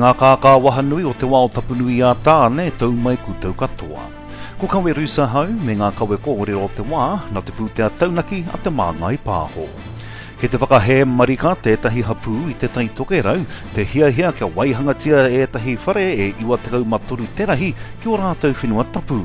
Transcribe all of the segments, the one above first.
ngā kākā wahanui o te wao tapunui a Tāne, tau mai koutou katoa. Ko Kawe Rusa hau me ngā kawe kōrero o te wā, na te pūtea taunaki a Te Māngai Pāho. Kei te whakahē marika tētahi hapū i Te Tai Tokerau te hiahia kia waihangatia ētahi whare e 93 te rahi ki ō rātou whenua tapu.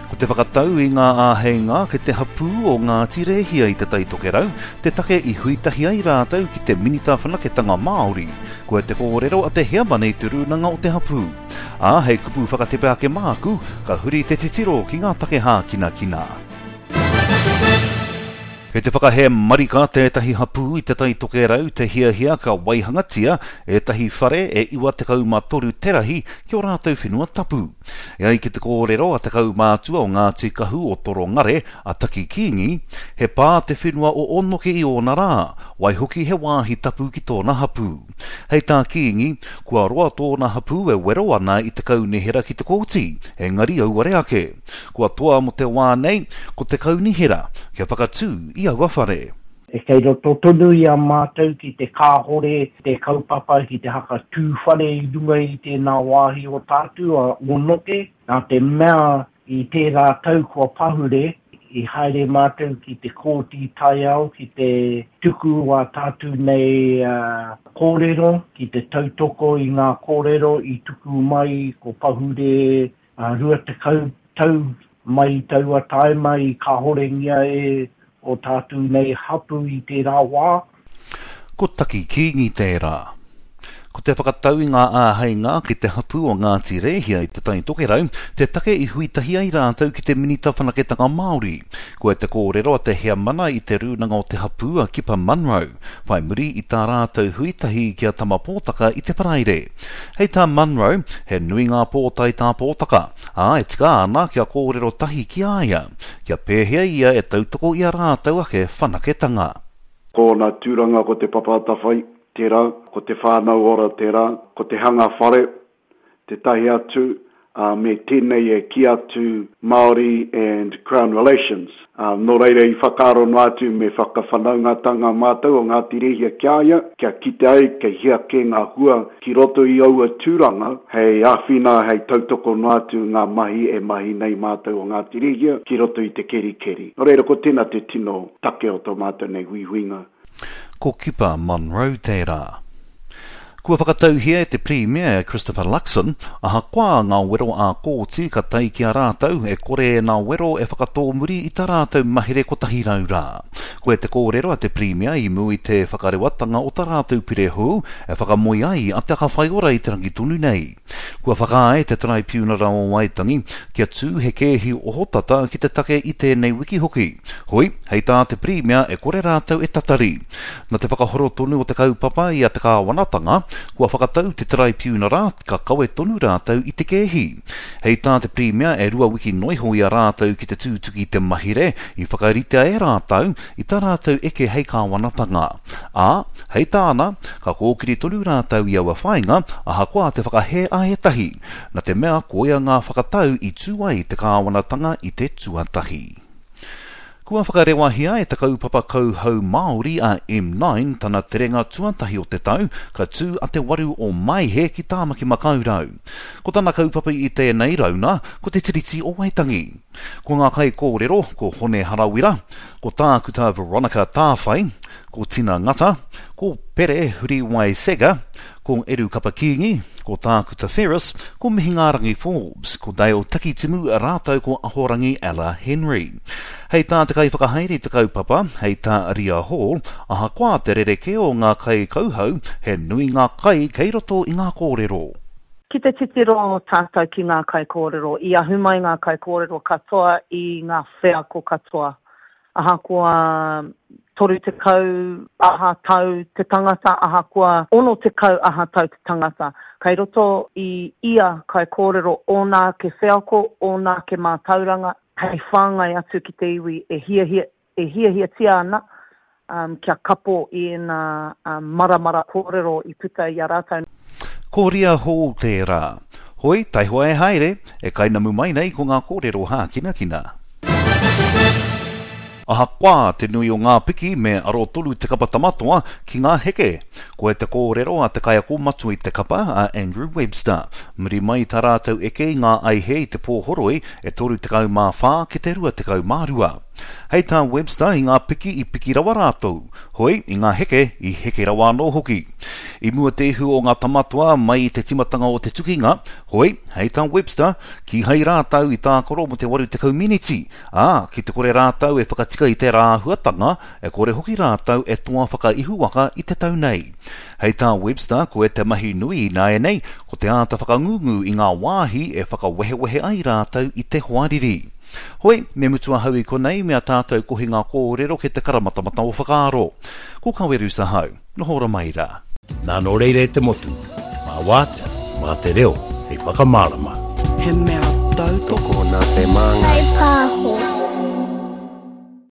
Ko te whakatau i ngā āheinga kei te hapū o Ngāti Rēhia i Te Tai Tokerau te take i hui tahi ai rātou ki te Minita Whanaketanga Māori. Koia te kōrero a te heamana i te rūnanga o te hapū. Ā, hei kupu whakatepe ake māku, ka huri te titiro ki ngā take hākinakina. Kei te whakahē marika tētahi hapū i Te Tai Tokerau te hiahia ka waihangatia ētahi whare e 93 te rahi ki ō rātou whenua tapu. E ai ki te kōrero a te kaumātua o Ngāti Kahu o Torongare, a Taki Kīngi, he pā te whenua o Ōnoke i ōna rā, waihoki he wāhi tapu ki tōna hapū. Hei tā Kīngi, kua roa tōna hapū e wero ana i te kaunihera ki te kōti, engari auare ake. Kua toa mō te wā nei, ko te kaunihera kia whakatū i aua whare. Kei roto tonu i a mātou ki te kāhore te kaupapa ki te haka tū whare i runga i tēnā wāhi o tātu a Ōnoke, nā te mea i tērā tau kua pahure, i haere mātou ki te Kōti Taiao ki te tuku wā tātu nei kōrero, ki te tautoko i ngā kōrero i tuku mai ko pahure 20 tau mai i taua taima i kahorengia e o tātou nei hapu i tērā wā. Ko Taki Kīngi tērā. Ko te whakatau i ngā āheinga ki te hapū o Ngāti Rēhia i Te Tai Tokerau te take i hui tahi ai rātou ki te Minita Whanaketanga Māori. Koia te kōrero a te heamana i te rūnanga o te hapū a Kipa Munro, whai muri i tā rātou hui tahi ki a Tama Pōtaka i te Paraire. Hei tā Munro, he nui ngā pōtae tā Pōtaka, ā, e tika ana kia kōrero tahi ki a ia, kia pēhea ia e tautoko i a rātou ake whanaketanga. Ko ōna tūranga ko Te Papa Atawhai tērā, ko Te Whānau Ora tērā, ko te hanga whare tētahi atu, ā, me tēnei e kī atu Māori and Crown Relations. Ā, nō reira i whakaaro noa atu me whakawhanaungatanga mātou o Ngāti Rēhia ki a ia, kia kite ai kei hea kē ngā hua ki roto i aua tūranga hei āwhina, hei tautoko noa atu ngā mahi e mahi nei mātou o Ngāti Rēhia ki roto i te kerikeri. Nō reira ko tēnā te tino take o tō mātou nei huihuinga. Ko Kipa Munro tērā. Kua whakatauhia e te Pirimia e Christopher Luxon, ahakoa ngā wero ā-kōti ka tae ki a rātou, e kore ēnā wero e whakatōmuri i tā rātou mahere 100 rā. Koia te kōrero a te Pirimia i mua i te whakarewatanga o tā rātou pire hou e whakamoe ai a Te Aka Whaiora i te rangi tonu nei. Kua whakaae te Taraipiunara o Waitangi kia tū he kēhi ohotata ki te take i tēnei wiki hoki. Hoi, hei tā te Pirimia e kore rātou e tatari. Na te whakahoro tonu o te kaupapa i a te kāwanatanga, kua whakatau te Taraipiunara ka kawe tonu rātou i te kēhi. Hei tā te Pirimia e rua wiki noiho i a rātou ki te tūtuki i te mahire i whakaritea e rātou i tā rātou eke hei kāwanatanga. Ā, hei tāna, ka kōkiri tonu rātou i aua whāinga, ahakoa te whakahē a ētahi, na te mea koia ngā whakatau i tū ai te kāwanatanga i te tuatahi. Kua whakarewahia e te kaupapa kauhau Māori a M9 tana terenga tuatahi o te tau, ka tū a te 8 o Maehe ki Tāmaki Makaurau. Ko tana kaupapa i tēnei rauna, ko te Tiriti o Waitangi. Ko ngā kaikōrero, ko Hone Harawira, ko Tākuta Veronica Tāwhai, ko Tina Ngata, ko Pere Huriwai Seger, ko Eru Kapa Kīngi, ko Tākuta Ferris, ko Mihingārangi Forbes, ko Dale Takitimu rātou ko Ahorangi Ella Henry. Hei tā te kaiwhakahaere i te kaupapa, hei tā Ria Hall, ahakoa te rerekē o ngā kaikauhau, he nui ngā kai kei roto i ngā kōrero. Ki te titiro tātou ki ngā kaikōrero, i ahu mai ngā kaikōrero katoa i ngā wheako katoa. Ahakoa 30 aha tau te tangata, ahakoa 60 aha tau te tangata, kei roto i ia kaikōrero ōna ake wheako, ōna ake mātauranga hei whāngai atu ki te iwi e hiahia, e hiahiatia ana kia kapo i ēnā maramara kōrero i puta i a rātou. Ko Ria Hall tērā. Hoi, taihoa e haere, e kainamu mai nei ko ngā kōrero hākinakina. Ahakoa te nui o ngā piki me aro tonu te kapa Tamatoa ki ngā heke. Koia te kōrero a te kaiako matua i te kapa, a Andrew Webster. Muri mai i tā rātou eke i ngā aihe i te pō horoi e 34 ki te 22. Hei tā Webster i ngā piki i piki rawa rātou, hoi, i ngā heke i heke rawa anō hoki. I mua te ihu o ngā Tamatoa mai i te timatanga o te tukinga, hoi, hei tā Webster, kīhai rātou i tākaro mō te 80 miniti, Ā, ki te kore rātou e whakatika i tērā āhuatanga, e kore hoki rātou e toa whakaihuwaka i te tau nei. Hei tā Webster, koe te mahi nui ināianei, ko te āta whakangungu i ngā wāhi e whakawehewehe ai rātou i te hoariri. Hoi, me mutu ahau i konei me a tātou kohinga kōrero ki te karamatamata o whakaaro. Ko Kawerus ahau. Noho ora mai rā. Nā nō reira e te motu, mā wātea, mā te reo hei whakamārama. He mea tautoko. Tokona te māngai. Whai pāho.